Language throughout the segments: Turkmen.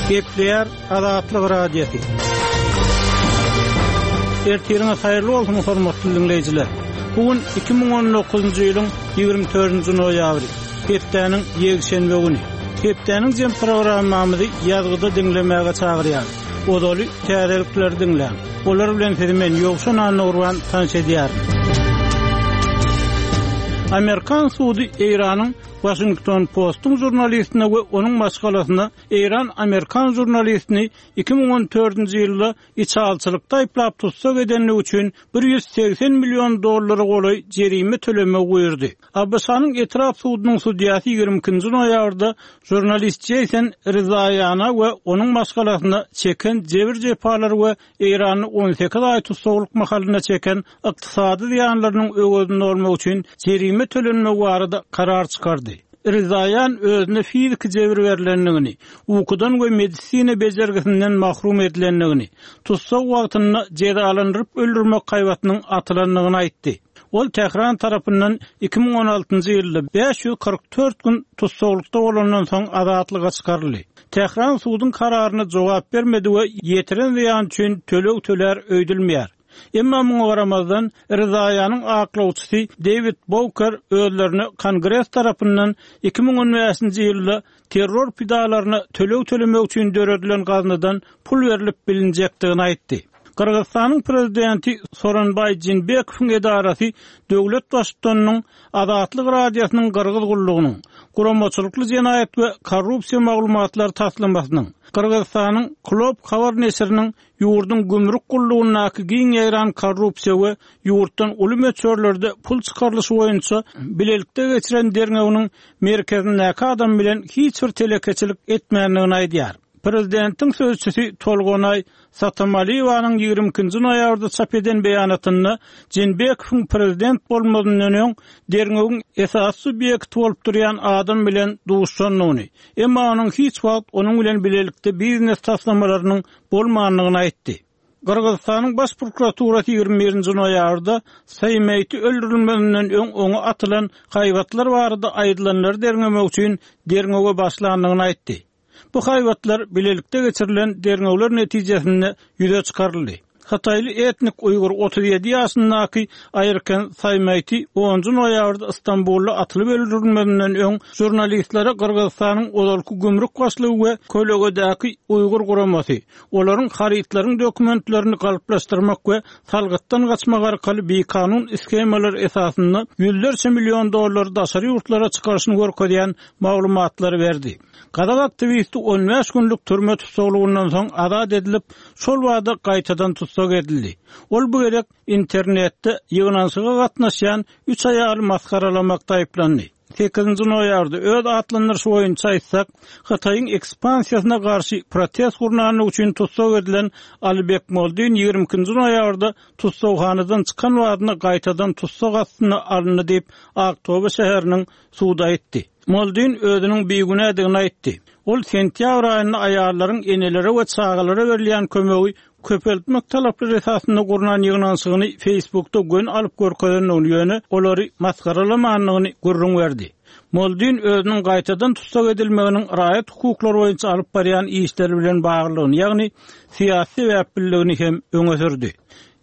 Gepleýär Azatlyk Radiosy. Ertiriňiz haýyrly bolsun, hormatly diňleýjiler. Bu gün 2019-njy ýylyň 24-nji noýabry, hepdäniň ýekşenbe güni. Hepdäniň jem programmamyzy ýazgyda diňlemäge çagyrýarys. Ozaly täzelikleri diňläň. Olar bilen sizi men Ýowşan Annagurban tanyş edýärin. Amerikan sudy Eýranyň Washington Postuň žurnalistine we onuň maşgalasyna eýran-amerikan žurnalistini 2014-nji ýylda içalyçylykda aýyplap tussag edenligi üçin 180 million dollara golaý jerime tölemegi buýurdy. ABŞ-nyň etrap sudunyň sudýasy 22-nji noýabrda žurnalist Jeýson Rezaýana we onuň maşgalasyna çeken jebir-jepalary we Eýranda 18 aý tussaglyk mahalynda çeken ykdysady zyýanlarynyň öwezini dolmak üçin jerime tölenmegi barada karar çykardy. Rezaýan özüne fiziki jebir berlendigini, ukudan we medisina bejergisinden mahrum edilendigini, tussag wagtynda jezalandyryp öldürmek haýbatynyň atylandygyny aýtdy. Ol Tähran tarapyndan 2016-njy ýylda 544 gün tussaglykda bolandan soň azatlyga çykaryldy. Tähran suduň kararyna jogap bermedi we ýetiren zyýany üçin töleg tölär öýdülmeýär. Emma muňa garamazdan, Rezaýanyň aklawçysy Dewid Bouker özlerine Kongres tarapyndan 2015-nji ýylda terror pidalaryna töleg tölemek üçin döredilen gaznadan pul berlip bilinjekdigini aýtdy. Gyrgyzystanyň prezidenti Soronbaý Jeenbekowyň edarasy döwlet baştutanynyň Azatlyk Radiosynyň Gyrgyz gullugynyň Guramaçylykly jenaýat we korrupsiýa maglumatlary taslamasynyň, Gyrgyzystanyň Klob habar neşiriniň ýurduň gümrük gullugyndaky giň ýaýran korrupsiýa we ýurtdan uly möçberlerde pul çykarylyşy boýunça bilelikde geçiren derňewiniň merkezindäki adam bilen hiç bir telekeçilik etmändigini aýdýar. Prezidentiň sözçüsi Tolgonaý Satamaliýewanyň 22-nji noýabrda çap eden beýanatynda Jeenbekowyň prezident bolmazyndan öň derňewiň esasy subýekti bolup durýan adam bilen duşandygyny, emma onuň hiç wagt onuň bilen bilelikde biznes taslamalarynyň bolmandygyny aýtdy. Gyrgyzystanyň Baş prokuraturasy 21-nji noýabrda Saýmeýti öldürilmezinden öň oňa atylan haýbatlar barada aýdylanlary derňemek üçin derňewe başlandygyny aýtdy. Bu haýbatlar bilelikde geçirilen derňewler netijesinde ýüze çykaryldy. Hytaýly etnik uýgur 37 ýaşyndaky Aýrken Saýmaýti onunjy noýabrda Stambulda atylyp öldürilmezinden öň žurnalistlere Gyrgyzystanyň ozalky gümrük başlygy we kölegedäki uýgur guramasy, olaryň harytlaryň dokumentlerini galplaşdyrmak we salgytdan gaçmak arkaly bikanun shemalar esasynda ýüzlerçe million dollar daşary ýurtlara çykaryşyny görkezýän maglumatlary berdi. Gazak aktiwisti 15 günlük türme tussaglygyndan soň azat edilip, şol bada gaýtadan tussag edildi. Ol bu gezek internetde ýygnanyşyga gatnaşýan üç aýaly masgaralamakda aýyplandy. Sekizinji noýabrda öz atlandyryşy boýunça aýtsak, Hytaýyň ekspansiýasyna garşy protest gurnanlygy üçin tussag edilen Alibek Moldin 22-nji noýabrda tussaghanadan çykan badyna gaýtadan tussag astyna alyndy diýip, Aktobe şäheriniň sudy aýtdy. Moldin özüniň bigünädigini aýtdy. Ol sentýabr aýynda aýallaryň enelere we çagalara berilýän kömegi köpeltmek talaplary esasynda gurnan ýygnanyşygyny Facebookda göni alyp görkezendigini, ýöne olary masgaralamandygyny gürrüň berdi. Moldin özüniň gaýtadan tussag edilmeginiň raýat hukuklary boýunça alyp barýan işleri bilen baglydygyny, ýagny syýasy sebäpliligini hem öňe sürdi.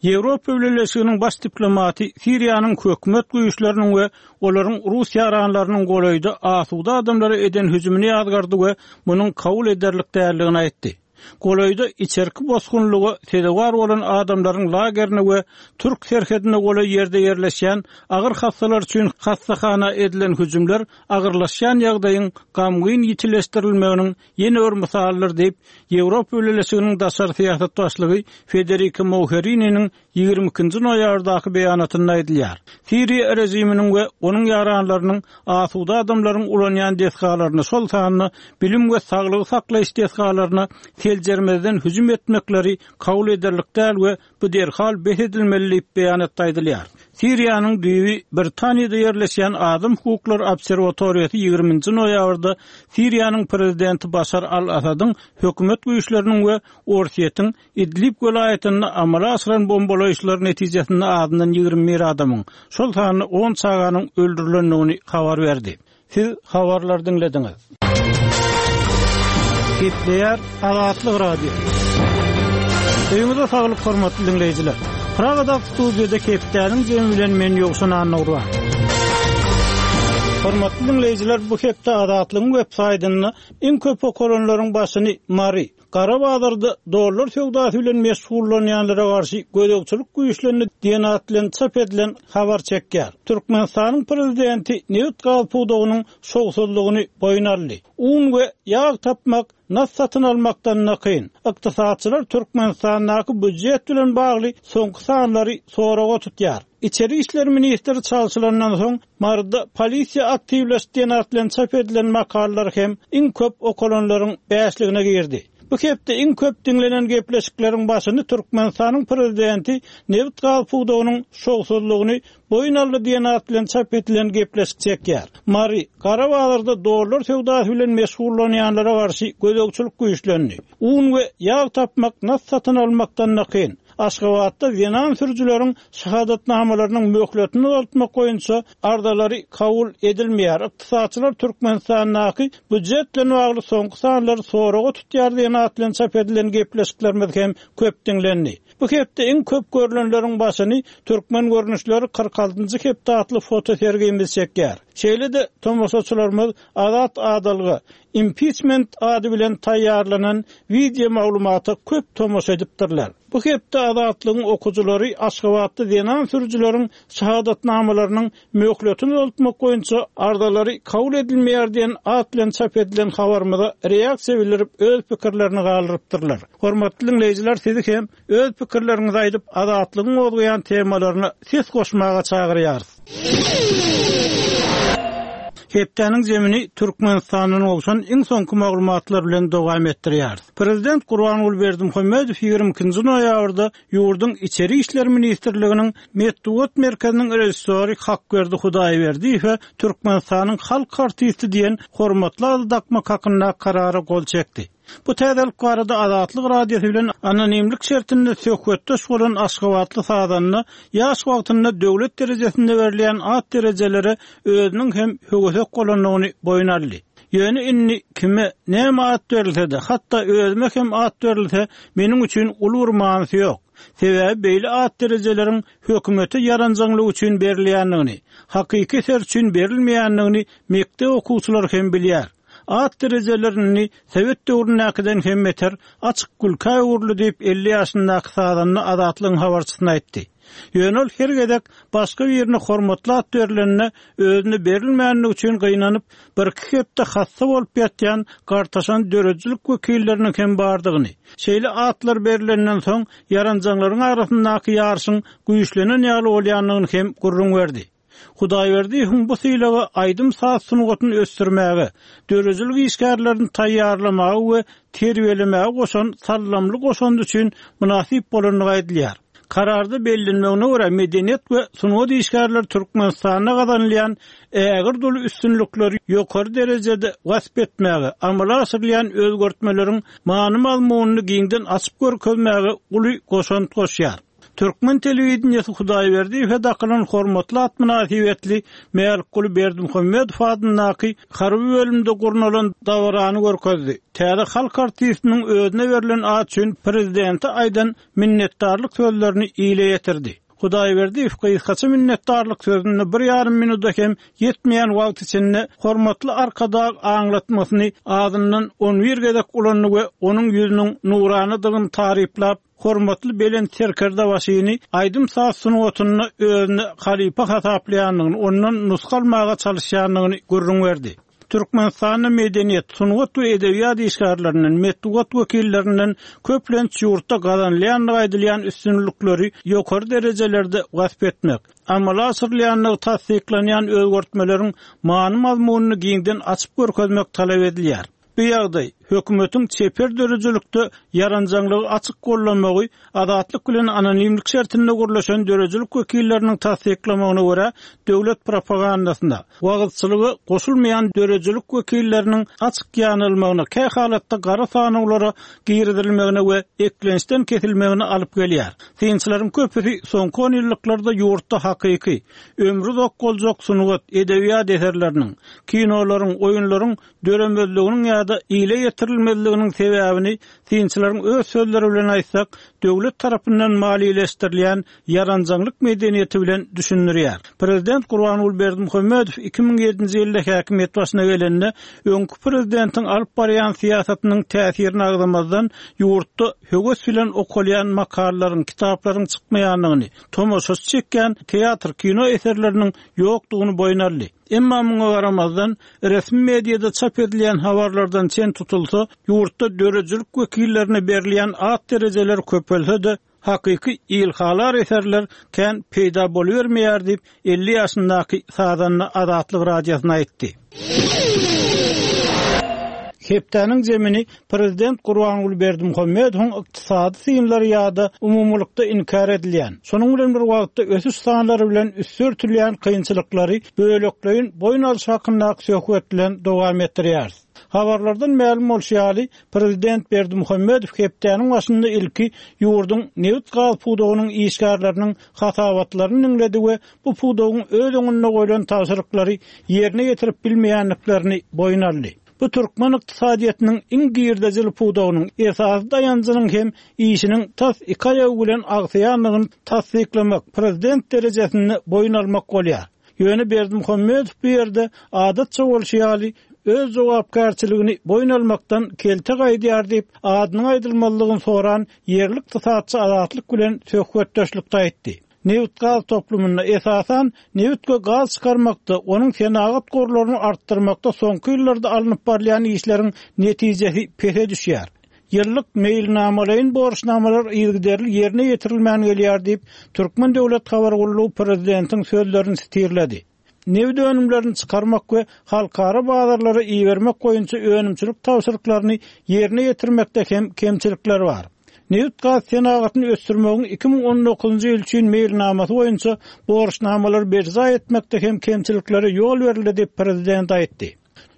Ýewropa Bileleşiginiň baş diplomaty Siriýanyň hökümet güýçleriniň we olaryň rus ýaranlarynyň golaýda asuda adamlara eden hüjümini ýazgardy we munuň kabul ederlik däldigini aýtdy. Golaýda içerki bosgunlyga sezewar bolan adamlaryň lagerine we türk serhedine golaý ýerde ýerleşýän agyr hassalar üçin hassahana edilen hüjümler agyrlaşýan ýagdaýyň gamgyn ýitileşdirilmeginiň ýene bir mysalydyr diýip, Ýewropa Bileleşiginiň daşary syýasat başlygy Federika Mogherininiň 22-nji noýabrdaky beýanatynda aýdylýar. Siriýa režiminiň we onuň ýaranlarynyň asuda adamlaryň ulanýan desgalaryna, şol sanda bilim we saglygy saklaýyş desgalaryna seljermezden hüjüm etmekleri kabul ederlik däl we Bu derhal bes edilmeli diýip, beýanatda aýdylýar. Siriýanyň düýbi Britaniýada ýerleşýän Adam hukuklary obserwatoriýasy 20-nji noýabrda Siriýanyň prezidenti Başar al-Assadyň hökümet güýçleriniň we Orsýetiň Idlib welaýatynda amala aşyran bombalaýyşlary netijesinde azyndan 21 adamyň, şol sanda on çaganyň öldürilendigini habar berdi. Siz habarlary diňlediňiz. Gepleýär Azatlyk Radiosy. Öýüňize saglyk hormatly diňleýjiler. Pragadaky studiýada hepdäniň jemi bilen men Ýowşan Annagurban. Hormatly diňleýjiler, bu hepde Azatlygyň web saýtynda iň köp okalanlaryň başyny Mary, Gara bazarda dollar söwdasy bilen meşgullanýanlara garşy gözegçilik güýçlendi diýen at bilen çap edilen habar çekýär. Türkmenistanyň prezidenti nebit-gaz pudagynyň şowsuzlygyny boýun aldy. Un we ýag tapmak nas satyn almakdan-da kyn. Ykdysatçylar Türkmenistandaky býujet bilen bagly soňky sanlary soraga tutýar. Içeri işler ministri çalşylandan soň, Maryda polisiýa aktiwleşdi diýen at bilen çap edilen makalalar hem iň köp okalanlaryň bäşligine girdi. Bu hepde iň köp diňlenen gepleşikleriň başyny Türkmenistanyň prezidenti nebit-gaz pudagynyň şowsuzlygyny boýun aldy diýen at bilen çap edilen gepleşik çekýär. Mary, gara bazarda dollar söwdasy bilen meşgullanýanlara garşy gözegçilik güýçlendi. Un we ýag tapmak nas satyn almakdan-da kyn. Aşgabatda zenan sürüjileriň şahadatnamalarynyň möhletini uzaltmak boýunça arzalary kabul edilmeýär. Ykdysatçylar Türkmenistandaky býujet bilen bagly soňky sanlary soraga tutýar diýen at bilen çap edilen gepleşiklerimiz hem köp diňlendi. Bu hepde iň köp görlenleriň başyny Türkmen görnüşleri 46-njy hepde atly fotosergimiz çekýär. Şeýle-de tomaşaçylarymyz Azat adalga, Impiçment ady bilen taýýarlanan wideo maglumata köp tomaşa edipdirler. Bu hepde Azatlygyň okyjylary Aşgabatda zenan sürüjileriň şahadatnamalarynyň möhletini uzaltmak boýunça arzalary kabul edilmeýär diýen at bilen çap edilen habarymyza reaksiýa bildirip öz pikirlerini galdyrypdyrlar. Hormatly diňleýjiler sizi hem Öz pikirleriňizi aýdyp, Azatlygyň gozgaýan temalaryna ses goşmaga çagyrýarys. Hepdäniň jemini Türkmenistandan gowşan iň soňky maglumatlar bilen dowam etdirýäris. Prezident Gurbanguly Berdimuhamedow 22-nji noýabrda ýurduň Içeri işler ministrliginiň Metbugat merkeziniň režissýory Hakberdi Hudaýberdiýewe Türkmenistanyň halk artisti diýen hormatly ady dakmak hakynda karara gol çekdi. Bu täzelik barada Azatlyk Radiosy bilen anonimlik şertinde söhbetdeş bolan aşgabatly sazanda ýaş wagtynda döwlet derejesinde berilýän at derejelere özüniň hem höwesek bolandygyny boýun aldy. Ýöne indi kime, näme at berilse-de, hatda özüme hem at berilse, meniň üçin uly bir manysy ýok. Sebäbi beýle at derejeleriň hökümete ýaranjaňlyk üçin berilýändigini, hakyky eser üçin berilmeýändigini mekdep okuwçylary hem bilýär. At derejelerini sowet döwründäkiden hem beter açyk gülkä öwrüldi diýip, 50 ýaşyndaky sazanda Azatlygyň habarçysyna aýtdy. Ýöne ol her gezek başga birine hormatly at berlende, özüne berilmänligi üçin gynanyp, birki hepde hassa bolup ýatýan gartaşan döredijilik wekilleriniň hem bardygyny, şeýle atlar berlenden soň ýaranjaňlaryň arasyndaky ýaryşyň güýçlenen ýaly bolýandygyny hem gürrüň berdi. Hudaýberdiýewiň bu sylaga aýdym-saz sungatyny ösdürmäge, döredijilik işgärlerini taýýarlamaga we terbiýelemäge goşan saldamly goşandy üçin mynasyp bolandygy aýdylýar. Kararda bellenmegine görä, medeniýet we sungat işgärleri Türkmenistanda gazanylýan ägirt uly üstünlikleri ýokary derejede wasp etmäge, amala aşyrylýan özgertmeleriň many-mazmunyny giňden açyp görkezmäge uly goşant goşýar. Türkmen telewideniýesi Hudaýberdiýewe dakylan hormatly at mynasybetli Mälikguly Berdimuhamedow adyndaky harby bölümde gurnalan dabarany görkezdi. Täze halk artistiniň özüne berlen at üçin prezidente aýdan minnetdarlyk sözlerini ile ýetirdi. Hudaýberdiýew gysgaça minnetdarlyk sözünde bir ýarym minuda hem ýetmeýän wagt içinde hormatly Arkadag aňlatmasyny azyndan on bir gezek ulandy we onuň ýüzüniň nuranadygyny taryplap, hormatly Belent Serkerdebaşyny aýdym-saz sungatynda özüne halypa hasaplaýandygyny, ondan nusga almaga çalyşýandygyny gürrüň berdi. Türkmenistanda medeniýet, sungat we edebiýat işgärlerinden, metbugat wekillerinden köplenç ýurtda gazanylýandygy aýdylýan üstünlikleri ýokary derejelerde wasp etmek, amala aşyrylýandygy tassyklanýan özgertmeleriň many-mazmunyny giňden açyp görkezmek talap edilýär. Bu ýagdaý, hökümetiň çeper döredijilikde ýaranjaňlygy açyk goldamagy Azatlyk bilen anonimlik şertinde gürleşen döredijilik wekilleriniň tassyklamagyna görä, döwlet propagandasyna, wagyzçylyga goşulmaýan döredijilik wekilleriniň açyk ýanalmagyna, kähalatda gara sanawlara girizilmegine we eklençden kesilmegine alyp gelýär. Synçylaryň köpüsi soňky onýyllyklarda ýurtda hakyky, ömri uzak boljak sungat, edebiýat eserleriniň, kinolaryň, oýunlaryň döremezliginiň ýa-da. ýa-da ile ýetirilmezliginiň sebäbini synçylaryň öz sözleri bilen aýtsak, döwlet tarapyndan maliýeleşdirilýän ýaranjaňlyk medeniýeti bilen düşündirýär. Prezident Gurbanguly Berdimuhamedow 2007-nji ýylda häkimiýet başyna gelende, öňki prezidentiň alyp barýan syýasatynyň täsirini agzamazdan, ýurtda höwes bilen okalýan makalalaryň, kitaplaryň çykmaýandygyny, tomaşaçy çekýän teatr, kino eserleriniň ýokdugyny boýun aldy. Emma muňa garamazdan, resmi mediada çap edilýän habarlardan çen tutulsa, ýurtda döredijilik wekillerine berilýän at-derejeler köpelse-de, hakyky ilhalar eserler kän peýda bolubermeýär diýip, 50 ýaşyndaky sazanda Azatlyk Radiosyna aýtdy. Hepdäniň jemini prezident Gurbanguly Berdimuhamedowyň ykdysady synlary ýa-da umumylykda inkär edilýän, şonuň bilen bir wagtda ösüş sanlary bilen üsti örtülýän kynçylyklary bölekleýin boýun alyş hakyndaky söhbet bilen dowam etdirýäris. Habarlardan mälim bolşy ýaly, prezident Berdimuhamedow hepdäniň başynda ilki ýurduň nebit-gaz pudagynyň işgärleriniň hasabatlaryny diňledi we bu pudagyň öz öňünde goýlan tabşyryklary ýerine ýetirip bilmeýändiklerini boýun aldy. Bu türkmen ykdysadyýetiniň iň girdejili pudagynyň esasy daýanjynyň hem işiniň tas iki aýagy bilen agsaýandygyny tassyklamak, prezident derejesinde boýun almak bolýar. Ýöne Berdimuhamedow bu ýerde adatça bolşy ýaly, öz jogapkärçiligini boýun almakdan kelte gaýdýar diýip, adynyň aýdylmazlygyny soran ýerli ykdysatçy Azatlyk bilen söhbetdeşlikde aýtdy. Nebit-gaz toplumynda, esasan, nebit we gaz çykarmakda, onuň senagat gorlaryny artdyrmakda soňky ýyllarda alnyp barylýan işleriň netijesi pese düşýär. Ýyllyk meýilnamalaýyn borçnamalar yzygiderli ýerine ýetirilmän gelýär diýip, Türkmen döwlet habar gullugy prezidentiň sözlerini sitirledi. Nebit önümlerini çykarmak we halkara bazarlara ibermek boýunça önümçilik tabşyryklaryny ýerine ýetirmekde hem kemçilikler bar. Nebit-gaz senagatyny ösdürmegiň 2019-njy ýyl üçin meýilnamasy boýunça borçnamalary berjaý etmekde hem kemçiliklere ýol berildi diýip, prezident aýtdy.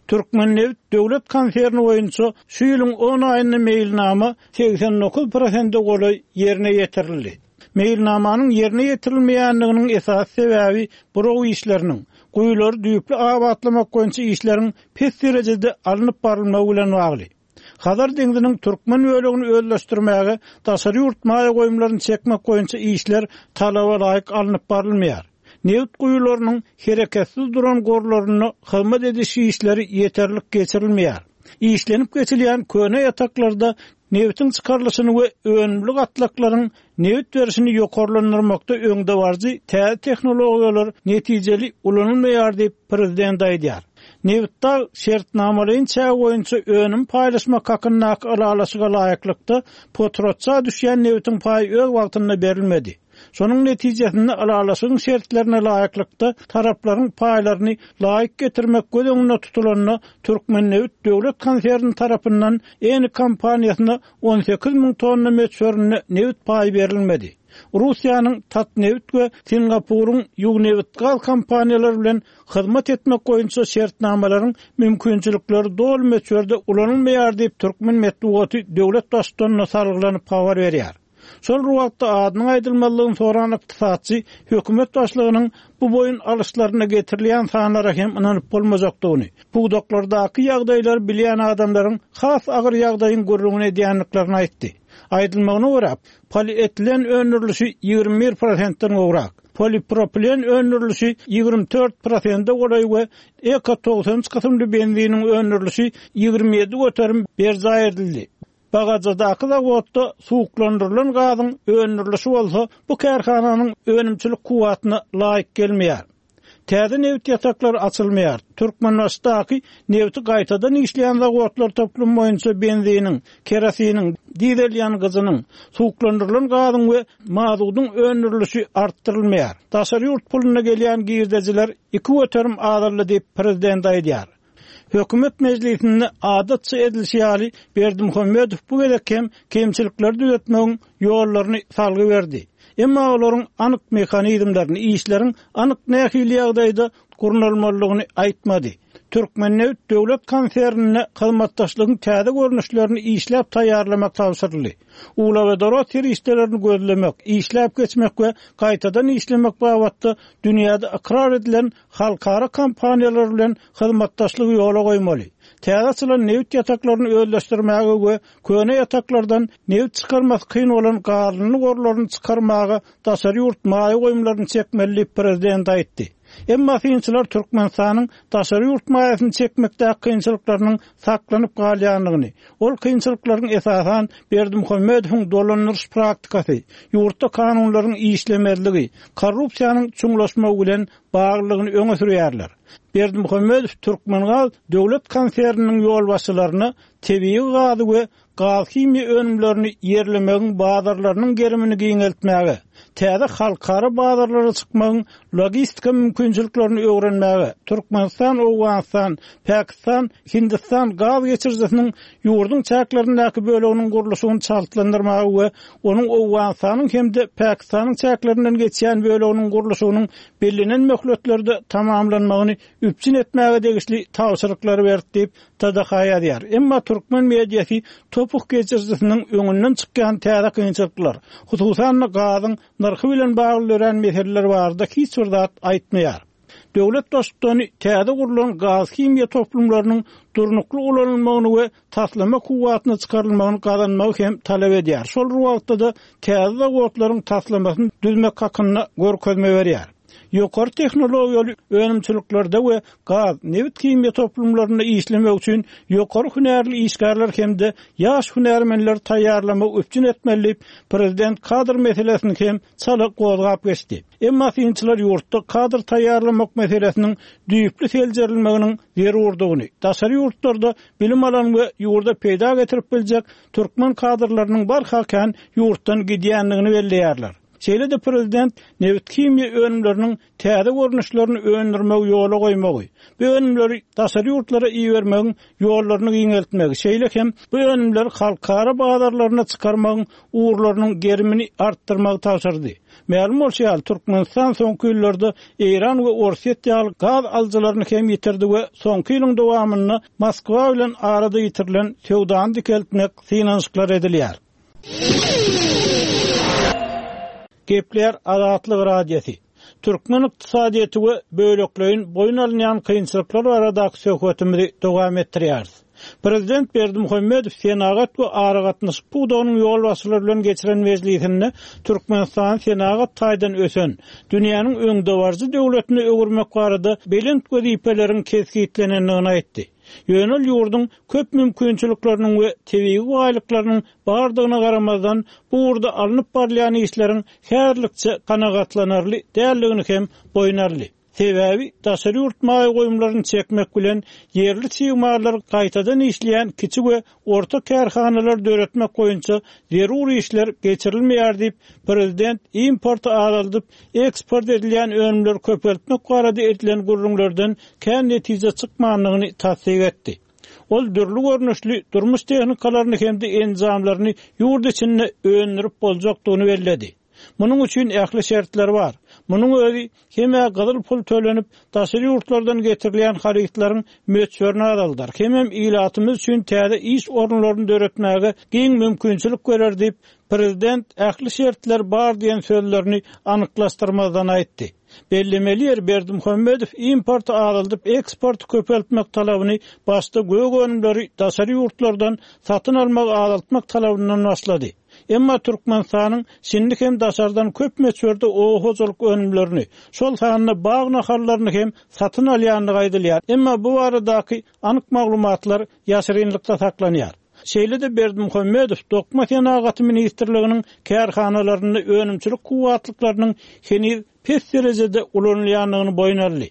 Türkmennebit döwlet konserni boýunça şu ýylyň on aýynda meýilnama 89 prosente golaý ýerine ýetirildi. Meýilnamanyň ýerine ýetirilmeýändiginiň esasy sebäbi buraw işleriniň, guýulary düýpli abatlamak boýunça işleriň pes derejede alnyp barylmagy bilen bagly. Hazar deňziniň türkmen bölegini özleşdirmäge daşary ýurt maýa goýumlaryny çekmek boýunça işler talaba laýyk alnyp barylmaýar. Nebit guýularynyň hereketsiz duran gorlarynda hyzmat ediş işleri ýeterlik geçirilmeýär. Işlenip geçilýän köne ýataklarda nebitiň çykarylyşyny we önümli gatlaklaryň nebit berşini ýokarlandyrmakda öňdebaryjy täze tehnologiýalar netijeli ulanylmaýar diýip, prezident aýdýar. Nebitdag şertnamalaýyn çägi boýunça önüm paýlaşmak hakyndaky ylalaşyga laýyklykda, potratça düşýän nebitiň paýy öz wagtynda berilmedi. Şonuň netijesinde ylalaşygyň şertlerine laýyklykda taraplaryň paýlaryny laýyk getirmek göz öňünde tutulanda Türkmennebit döwlet konserni tarapyndan Eni kompaniýasyna 18 müň tonna möçberinde nebit paýy berilmedi. Russiýanyň Tatnebit we Singapuryň Ýugnebitgaz kompaniýalary bilen hyzmat etmek boýunça şertnamalaryň mümkinçilikleri doly möçberde ulanylmaýar diýip, türkmen metbugaty döwlet Baştutanyna salgylanyp habar berýär. Şol bir wagtda adynyň aýdylmazlygyny soran ykdysatçy hökümet başlygynyň bu boýun alyşlarynda getirilýän sanlara hem ynanyp bolmajakdygyny, pudaklardaky ýagdaýlary bilýän adamlaryň has agyr ýagdaýyň gürrüňini edýändiklerini aýtdy. Aýdylmagyna görä, polietilen öndürilişi 21 prosentden gowrak, polipropilen öndürilişi 24 prosente golaý we Eko 93 kysymly benziniň öndürilişi 27 göterim berjaý edildi. Bagajadaky zawodda suwuklandyrylan gazyň öndürilişi bolsa bu kärhananyň önümçilik kuwwatyna laýyk gelmeýär. Täze nebit ýataklary açylmaýar. Türkmenbaşydaky nebiti gaýtadan işleýän zawodlar toplumy boýunça benziniň, kerosiniň, dizel ýangyjynyň, suwuklandyrylan gazyň we mazudyň öndürilişi artdyrylmaýar. Daşary ýurt puluna gelýän girdejiler 2% azaldy diýip, prezident aýdýar. Hökümet mejlisinde adatça edilişi ýaly, Berdimuhamedow bu gezek hem kemçilikleri düzetmegiň ýollaryny salgy berdi. Emma olaryň anyk mehanizmlerini, işleriň anyk nähili ýagdaýda gurnalmalydygyny aýtmady. Türkmennebit döwlet konsernine hyzmatdaşlygyň täze görnüşlerini işläp taýýarlamak tabşyryldy. Uglewodorod serişdelerini gözlemek, işläp geçmek we gaýtadan işlemek babatda dünýäde ykrar edilen halkara kompaniýalary bilen hyzmatdaşlygy ýola goýmaly. Täze açylan nebit ýataklaryny özleşdirmäge we köne ýataklardan nebit çykarmasy kyn bolan galyndy gorlaryny çykarmaga daşary ýurt maýa goýumlaryny çekmeli diýip, prezident aýtdy. Emma synçylar Türkmenistanyň daşary ýurt maýasyny çekmekdäki kynçylyklarynyň saklanyp galýandygyny, ol kynçylyklaryň esasan Berdimuhamedowyň dolandyryş praktikasy, ýurtda kanunlaryň işlemezligi, korrupsiýanyň çuňlaşmagy bilen baglydygyny öňe sürýärler. Berdimuhamedow Türkmengaz döwlet konserniniň ýolbaşçylaryna tebigy gazy we gaz-himiýa önümlerini ýerlemegiň bazarlarynyň gerimini giňeltmäge, täze halkara bazarlara çykmagyň logistika mümkinçiliklerini öwrenmäge, Türkmenistan, Owganystan, Pakistan, Hindistan gaz geçirijisiniň ýurduň çäklerindäki böleginiň gurluşygyny çaltlandyrmaga we onuň Owganystanyň hem-de Pakistanyň çäklerinden geçýän böleginiň gurluşygynyň bellenen möhletlerde tamamlanmagyny üpjün etmäge degişli tabşyryklary berdi diýip, TDH ýazýar. Emma türkmen mediasy topuk geçirijisiniň öňünden çykýan täze kynçylyklar, hususan-da gazyň nyrhy bilen bagly dörän meseleler barada hiç bir zat aýtmaýar. Döwlet Baştutany täze gurlan gaz-himiýa toplumlarynyň durnukly ulanylmagyny we taslama kuwwatyna çykarylmagyny gazanmagy hem talap edýär. Şol bir wagtda-da täze zawodlaryň taslamasyny düzmek hakynda görkezme berýär. Ýokary tehnologiýaly önümçiliklerde we gaz, nebit-himiýa toplumlarynda işlemek üçin ýokary hünärli işgärler hem-de ýaş hünärmenleri taýýarlamagy üpjün etmeli diýip, prezident kadr meselesini hem çala gozgap geçdi. Emma synçylar ýurtda kadr taýýarlamak meselesiniň düýpli seljerilmeginiň zerurdygyny, daşary ýurtlarda bilim alan we ýurda peýda getirip biljek türkmen kadrlarynyň barha kän ýurtdan gidýändigini belleýärler. Şeýle-de prezident nebit-himiýa önümleriniň täze görnüşlerini öndürmegi ýola goýmagy, bu önümleri daşary ýurtlara ibermegiň ýollaryny giňeltmegi, şeýle hem bu önümleri halkara bazarlaryna çykarmagyň ugurlarynyň gerimini artdyrmagy tabşyrdy. Mälim bolşy ýaly, Türkmenistan soňky ýyllarda Eýran we Orsýet ýaly gaz alyjylaryny hem ýitirdi we soňky ýylyň dowamynda Moskwa bilen arada ýitirilen söwdany dikeltmek synanyşyklary edilýär. Gepleýär Azatlyk Radiosy. Türkmen ykdysadyýeti we bölekleýin boýun alynýan kynçylyklar baradaky söhbetimizi dowam etdirýäris. Prezident Berdimuhamedow senagat we aragatnaşyk pudagynyň ýolbaşçylary bilen geçiren mejlisinde Türkmenistany senagat taýdan ösen, dünýäniň öňdebaryjy döwletine öwürmek barada belent wezipeleriň kesgitlenendigini aýtdy. Ýöne ol ýurduň köp mümkinçilikleriniň we tebigy baýlyklarynyň bardygyna garamazdan, bu ugurda alnyp barylýan işleriň häzirlikçe kanagatlanarly däldigini hem boýun aldy. Sebäbi daşary ýurt maýa goýumlaryny çekmek bilen, ýerli çig mallary gaýtadan işleýän kiçi we orta kärhanalary döretmek boýunça zerur işler geçirilmeýär diýip, prezident importy azaldyp, eksport edilýän önümleri köpeltmek barada edilen gürrüňlerden kän netije çykmandygyny tassyk etdi. Ol dürli görnüşli durmuş tehnikalaryny hem-de enjamlaryny ýurt içinde öndürip boljakdygyny belledi. Munuň üçin ähli şertler bar. Munuň özi hem-ä gyzyl pul tölenip, daşary ýurtlardan getirilýän harytlaryň möçberini azaldar, hemem ilatymyz üçin täze iş orunlaryny döretmäge giň mümkinçilik berer diýip, prezident ähli şertler bar diýen sözlerini anyklaşdyrmazdan aýtdy. Bellemeli ýeri, Berdimuhamedow importy azaldyp, eksporty köpeltmek talabyny başda gök önümleri daşary ýurtlardan satyn almagy azaltmak talabyndan başlady. Emma Türkmenistanyň şindi hem daşardan köp möçberde oba hojalyk önümlerini, şol sanda bag nahallaryny hem satyn alýandygy aýdylýar. Emma bu baradaky anyk maglumatlar ýaşyrynlykda saklanýar. Şeýle-de Berdimuhamedow Dokma senagaty ministrliginiň kärhanalarynda önümçilik kuwwatlyklarynyň heniz pes derejede ulanylýandygyny boýun aldy.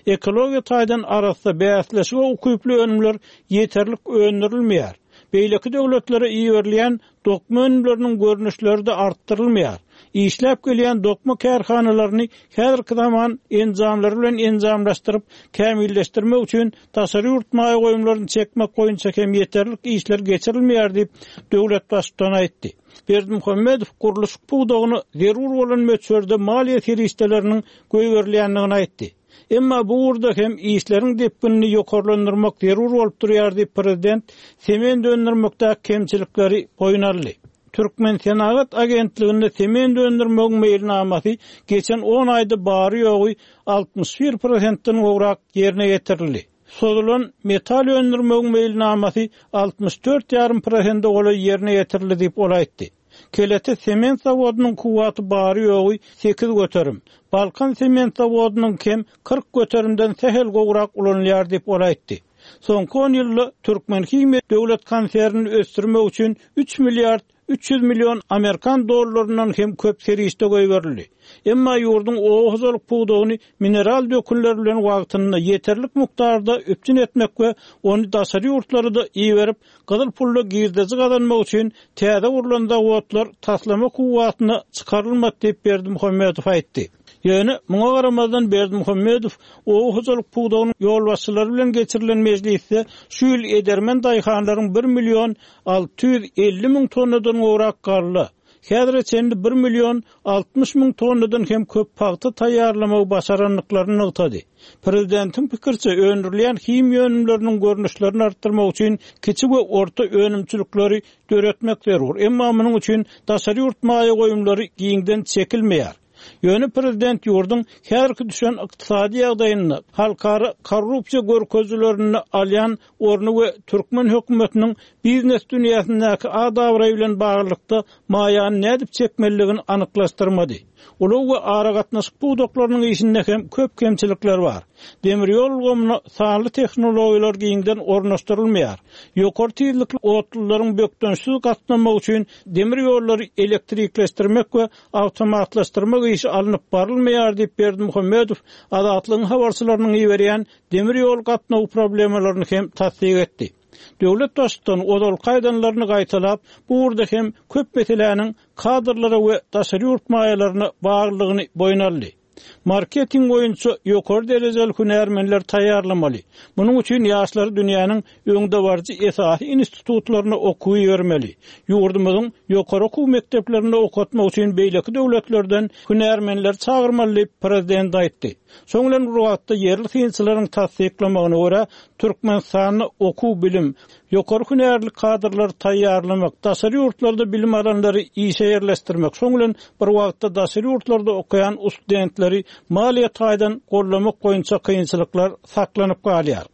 Ekologiýa taýdan arassa, bäsleşige ukyply önümler ýeterlik öndürilmeýär. Beýleki döwletlere iberilýän dokma önümleriniň görnüşleri-de artdyrylmaýar. Işläp gelýän dokma kärhanalaryny häzirki zaman enjamlary bilen enjamlaşdyryp, kämilleşdirmek üçin daşary ýurt maýa goýumlaryny çekmek boýunça hem ýeterlik işler geçirilmeýär diýip, döwlet Baştutany aýtdy. Berdimuhamedow gurluşyk pudagyna zerur bolan möçberde maliýe serişdeleriniň goýberilýändigini aýtdy. Emma bu ugurda hem işleriň depginini ýokarlandyrmak zerur bolup durýar diýip, prezident sement öndürmekdäki kemçilikleri boýun aldy. Türkmensenagat agentliginde sement öndürmegiň meýilnamasy geçen on aýda bary-ýogy 61 prosentden gowrak ýerine ýetirildi. Sozulan metal öndürmegiň meýilnamasy 64 ýarym prosente golaý ýerine ýetirildi diýip, ol aýtdy. Kelete sement zawodynyň kuwwaty bary-ýogy 8%, Balkan sement zawodynyňky hem 40 göterimden sähel gowrak ulanylýar diýip, ol aýtdy. Soňky on ýylda Türkmenhimiýa döwlet konsernini ösdürmek üçin üç milliard 300 million amerikan dollaryndan hem köp serişde goýberildi. Emma ýurduň oba hojalyk pudagyny mineral dökünler bilen wagtynda, ýeterlik mukdarda üpjün etmek we ony daşary ýurtlara-da iberip, gyzyl pulda girdeji gazanmak üçin täze gurlan zawodlar taslama kuwwatyna çykarylmady diýip, Berdimuhamedow aýtdy. Ýöne, muňa garamazdan Berdimuhamedow oba hojalyk pudagynyň ýolbaşçylary bilen geçirilen mejlisde şu ýyl edermen daýhanlaryň bir million 650 müň tonnadan gowrak galla, häzire çenli bir million 60 müň tonnadan hem köp pagta taýýarlamagy başarandyklaryny nygtady. Prezidentiň pikiriçe, öndürilýän himiýa önümleriniň görnüşlerini artdyrmak üçin kiçi we orta önümçilikleri döretmek zerur, emma munuň üçin daşary ýurt maýa goýumlary giňden çekilmeýär. Ýöne prezident ýurduň häzirki düşen ykdysady ýagdaýynda halkara korrupsiýa görkezijilerinde alýan orny we türkmen hökümetiniň biznes dünýäsindäki at-abraýy bilen baglylykda maýany nädip çekmelidigini anyklaşdyrmady. Ulag we aragatnaşyk pudaklarynyň işinde hem köp kemçilikler bar. Demir ýol ulgamyna sanly tehnologiýalar giňden ornaşdyrylmaýar. Ýokary tizlikli otlularyň bökdençsiz gatnamagy üçin demir ýollary elektrikleşdirmek we awtomatlaşdyrmak işi alnyp barylmaýar diýip, Berdimuhamedow Azatlygyň habarçylarynyň iberýän demir ýol gatnawy problemalaryny hem tassyk etdi. Döwlet Baştutany ozalky aýdanlaryny gaýtalap, bu ugurda hem köp meseläniň kadrlara we daşary ýurt maýalaryna baglydygyny boýun aldy. Marketing boýunça ýokary derejeli hünärmenleri taýýarlamaly. Munuň üçin ýaşlary dünýäniň öňdebaryjy esasy institutlaryna okuwa ibermeli. Ýurdumyzyň ýokary okuw mekdeplerinde okatmak üçin beýleki döwletlerden hünärmenleri çagyrmaly diýip, prezident aýtdy. Şonuň bilen bir wagtda, ýerli synçylaryň tassyklamagyna görä, Türkmenistanda okuw-bilim, Ýokary hünärli kadrlary taýýarlamak, daşary ýurtlarda bilim alanlary işe ýerleşdirmek, şoň bilen bir wagtda daşary ýurtlarda okaýan ustudentleri maliýe taýdan goldamak boýunça kynçylyklar saklanyp galýar.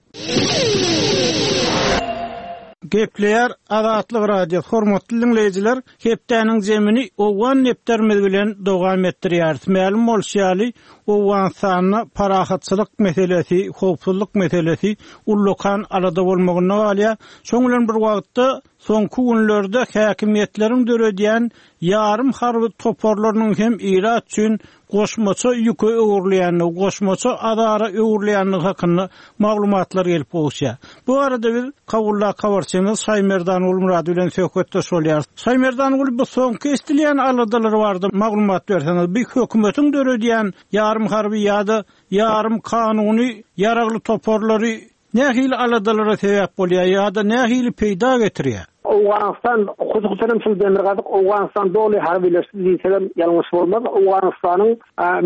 Gepleýär Azatlyk Radiosy, hormatly diňleýjiler, hepdäniň jemini owgan depderimiz bilen dowam etdirýäris. Mälim bolşy ýaly, Owganystanda parahatçylyk meselesi, howpsuzlyk meselesi ullakan alada bolmagynda galýar. Şoň bilen bir wagtda, soňky günlerde häkimiýetleriň döredýän ýarym harby toparlarynyň hem ilat üçin goşmaça ýüke öwrülýändigi, goşmaça azara öwrülýändigi hakynda maglumatlar gelip gowuşýar. Bu barada biz Kabuldaky habarçymyz Şaýmerdan Gulmyrady bilen söhbetdeş bolýarys. Şaýmerdanguly, bu soňky eşidilýän aladalar barada maglumat berseňiz, bu hökümetiň döredýän ýarym harby ýa-da ýarym kanuny ýaragly toparlary nähili aladalara sebäp bolýar ýa-da nähili peýda getirýär? Owganystan, hususan hem şul demirgazyk Owganystan doly harbylaşdy diýsegem ýalňyş bolmaz. Owganystanyň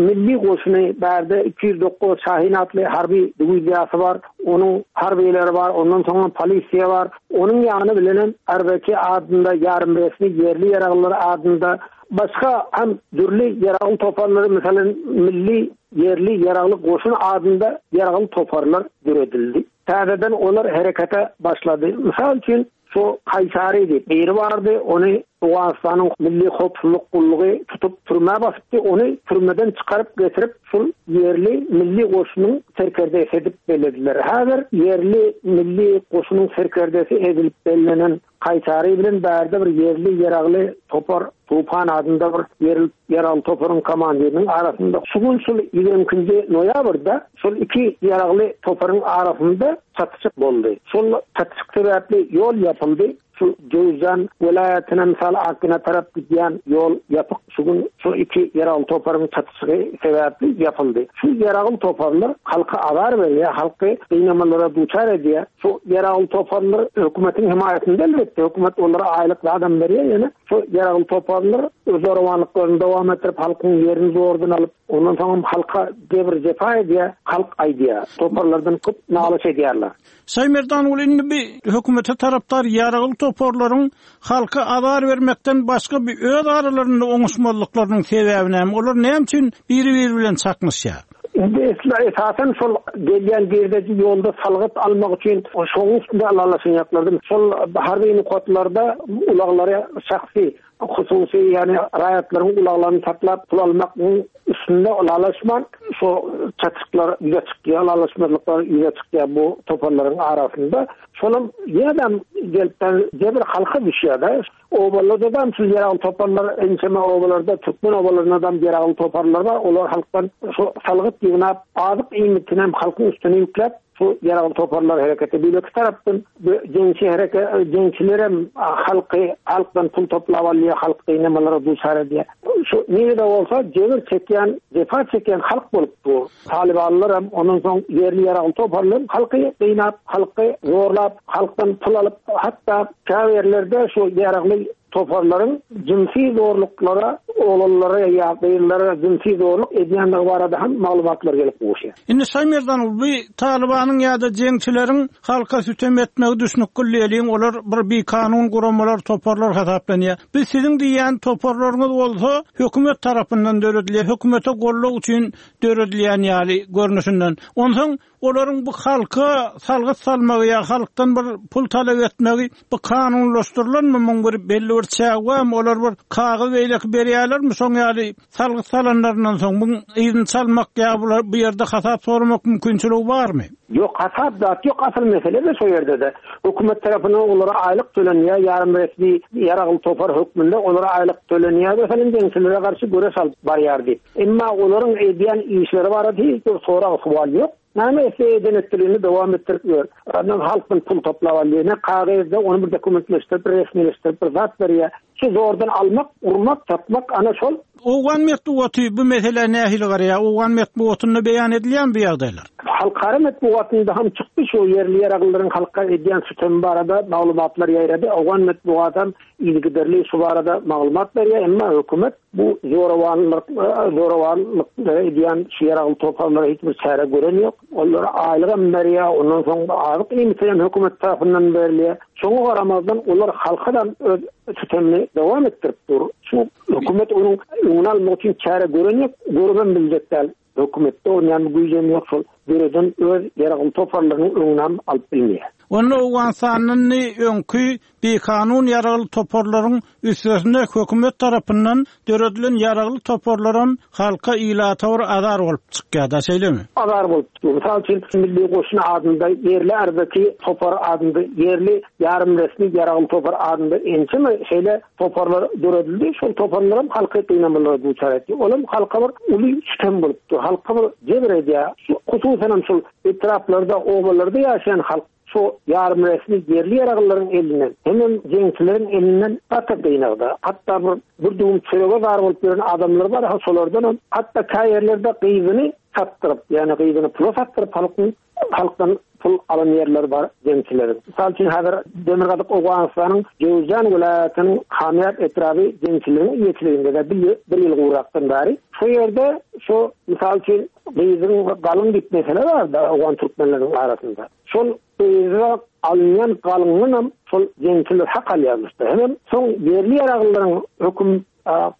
milli goşuny bärde 209 Şahin atly harby diwiziýasy bar. Onuň harbylary bar, ondan soňam polisiýa bar. Onuň ýany bilenem RBK adynda ýarym resmi ýerli ýaraglylar adynda başga hem dürli ýaragly toparlary, meselem, milli ýerli ýaragly goşun adynda ýaragly toparlar döredildi. Täzeden olar herekete başlady. Mysal üçin, şu Kaýsary diýip biri bardy, ony Owganystanyň Milli howpsuzlyk gullugy tutup türmä basypdy, ony türmeden çykaryp getirip şul ýerli milli goşunyň serkerdesi edip bellediler. Häzir ýerli milli goşunyň serkerdesi edilip bellenen Kaýsary bilen bärde bir ýerli ýaragly topar Tupan adynda bir ýerli ýaragly toparyň komandiriniň arasynda şu gün şul 22-nji noýabrda şol iki ýaragly toparyň arasynda çatyşyk boldy. Şol çatyşyk sebäpli ýol ýapyldy. Şu Jöwüzjan welaýatyna mysal Akgina tarap gidýän ýol ýapyk şu gün şu iki ýaragly toparyň çatyşygy sebäpli ýapyldy. Şu ýaragly toparlar halka azar berýär, halky gynamalara duçar edýär. Şu ýaragly toparlar hökümetiň hemaýatynda elbetde, hökümet olara aýlyk zadam berýär ýöne şu ýaragly toparlar öz zorawanlyklaryny dowam etdirip halkyň ýerini zordan alyp, ondan soňam halka jebir-jepa edýär, halk aýdýar. Toparlardan köp nalyş edýärler. Şaýmerdanguly indi bi hökümete tarapdar ýaragly toparlaryň halka azar bermekden başga bi öz aralarynda oňuşmazlyklarynyň sebäbi näme? Olar näme üçin biri-biri bilen çaknyşýar? Indi esasan şol gelýän girdeji ýolda salgyt almak üçin şonuň üstünde ylalaşanýaklardy. Şol harby nokatlarda ulaglary şahsy, hususy, ýagny raýatlaryň ulaglaryny saklap pul almagyň üstünde ylalaşman şo çatyşyklar ýüze çykýar, ylalaşmazlyklar ýüze çykýar bu toparlaryň arasynda. Şolam ýene-de gelip jebir halka düşýär-de. Obalarda-dam şul ýaragly toparlar, ençeme obalarda, türkmen obalarynda-dam ýaragly toparlar bar. Olar halkdan şu salgyt ýygnap, azyk iýmitinem halkyň üstüne ýükläp, şu ýaragly toparlar herekete. Beýleki tarapdan bu jeňçi hereke, jeňçilerem halky, halkdan pul toplap alýar, halk gynamalara duçar edýär. Şu nirede bolsa jebir çekýän, jepa çekýän halk bolup dur. Talybanlaram, ondan soň ýerli ýaragly toparlar halky gynap, halky zorlap, halkdan pul alyp, hatda käbirlerde şu ýaragly toparlaryň jynsy zorluklara, oglanlara ýa gyzlara jynsy zorluk edýändigi barada hem maglumatlar gelip gowuşýar. Indi Şaýmerdan, bu Talybanyň ýa-da jeňçileriň halka sütem etmegi düşnükli diýeliň, olar bir bikanun guramalar, toparlar hasaplanýar. Biz siziň diýýän toparlaryňyz bolsa hökümet tarapyndan döredilýär, hökümete goldaw üçin döredilýän ýaly görnüşinden. Onsoň olaryň bu halka salgyt salmagy ýa halkdan bir pul talap etmegi bu kanunlaşdyrylanmy, muň bir belli bir çägi barmy, olar bir kagyz beýleki berýärlermi şoň ýaly salgyt salanlaryndan soň muň yzyny çalmak ýa bular bu ýerde hasap soramak mümkinçiligi barmy? Ýok, hasap zat ýok, asyl mesele-de şo ýerde-de. Hökümet tarapyndan olara aýlyk tölenýär, ýarym resmi ýaragly topar hökmünde olara aýlyk tölenýär, meselem, jeňçilere garşy göreş alyp barýar diýip. Emma olaryň edýän işleri barada hiç bir sorag-sowal ýok. Näme etse eden etdiligini dowam etdirip ýör. Ondan halkdan pul toplap alýar. Ne kagyzda ony bir dokumentleşdirip, bir resmileşdirip bir zat berýär. Şu zordan almak, urmak, satmak ana şol. Owgan metbugaty bu meselä nähili garaýar? Owgan metbugatynda beýan edilýärmi bu ýagdaýlar? Halkara metbugatynda hem çykdy şu ýerli ýaraglylaryň halka edýän sütemi barada maglumatlar ýaýrady. Owgan metbugatam yzygiderli şu barada maglumat berýär. Emma hökümet Bu zorawanlyk, zorawanlyk edýän şu ýaragly toparlara hiç bir çäre gören ýok. Olara aýlygam berýär, ondan soň azyk iýmiti hem hökümet tarapyndan berilýär. Şoňa garamazdan olar halkadam öz sütemini dowam etdirip dur. Şu hökümet onuň öňüni almak üçin çäre gören ýok, görübem biljek däl. Hökümetde onýan güýjem ýok, şol döreden öz ýaragly toparlarynyň öňünem alyp bilmeýär. Onda Owganystanda indi öňki bikanun ýaragly toparlaryň üstesine hökümet tarapyndan döredilen ýaragly toparlaram halka, ilata bir azar bolup çykýar-da, şeýlemi? Azar bolup çykýar. Mysal üçin, Milli goşun adynda, ýerli ardaki topar adynda, ýerli ýarym resmi ýaragly topar adynda ençeme şeýle Toparlar döredildi. Şol toparlaram halky gynamalara duçar etdi. Olam halka bir uly sütem bolupdy. Halka bir jebir edýär. Şu hususanam şol etraplarda, obalarda ýaşaýan halk şu ýarym resmi ýerli ýaraglylaryň elinden, hemem jeňçileriň elinden gaty gynagda. Hatda bir bir düwüm çörege zar bolup ýören adamlar bar, ha şolardanam hatda käýerlerde gyzyny satdyryp, ýagny gyzyny pula satdyryp halkyň Halkdan pul alan ýerleri bar jeňçileriň. Mysal üçin, häzir Demirgazyk Owganystanyň Jöwüzjan welaýatynyň Kamýap etraby jeňçileriň eýeçiliginde-de bir ýyl gowrakdan bäri. Şo ýerde şo, mysal üçin, gyzyň galyň diýip mesele bar-da owgan türkmenleriniň arasynda. Şol gyza alynýan galyňdanam şol jeňçiler hak alýarmyş-da. Hemem soň ýerli ýaraglylaryň höküm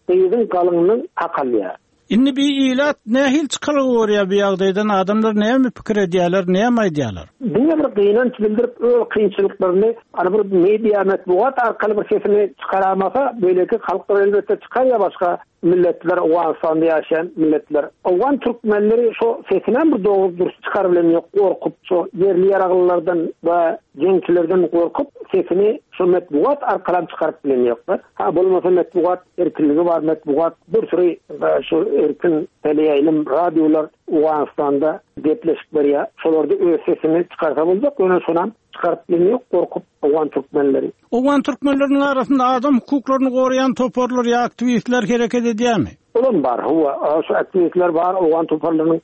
gyzyň galyňyndan hak alýar. Indi bi ilat nähili çykalga görýär bu ýagdaýdan adamlar näme pikir edýärler näme aýdýarlar? Diňe bir gynanç bildirip öz kynçylyklaryny hany bir media metbugat arkaly bir sesini çykaramasa beýleki halklar elbetde çykarýar başga milletler Owganystanda ýaşaýan milletler. Owgan türkmenleri şo sesinem bir dogry dürs çykarybilen ýok gorkup şo ýerli ýaraglylardan we jeňçilerden gorkup sesini şo metbugat arkalam çykaryp bilen ýoklar. Ha bolmasa metbugat erkinligi bar metbugat bir süri şu erkin teleýaýlym radiolar Owganystanda gepleşik berýär. Şolarda öz sesini çykarsa boljak ýöne şonam çykaryp bilmeýär gorkup owgan türkmenleri. Owgan türkmenleriniň arasynda adam hukuklaryny goraýan toparlar ýa aktiwistler hereket edýärmi? Olam bar, hawa, şu aktiwistler bar, owgan toparlarynyň,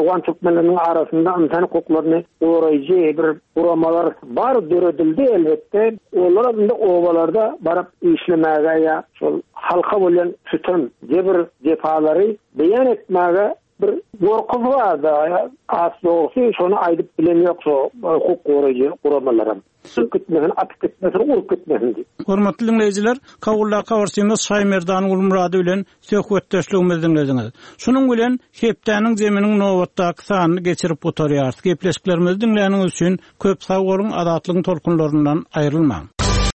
owgan türkmenleriniň arasynda ynsan hukuklaryny goraýjy bir guramalar bar, döredildi elbetde. Olaram indi obalarda baryp işlemäge ýa şol halka bolýan sütem, jebir, jepalary beýan etmäge bir gorkusy bar-da, has dogrusy şony aýdyp bilen ýok şo hukuk goraýjy guramalaram. Syryp gitmesin, atyp gitmesin, urup gitmesin diýip. Hormatly diňleýjiler, Kabuldaky habarçymyz Şaýmerdan Gulmyrady bilen söhbetdeşligimizi diňlediňiz. Şunuň bilen hepdäniň zeminiň nobatdaky sanyny geçirip gutarýarys. Gepleşiklerimizi diňläniňiz üçin köp sag boluň, Azatlygyň tolkunlaryndan aýrylmaň!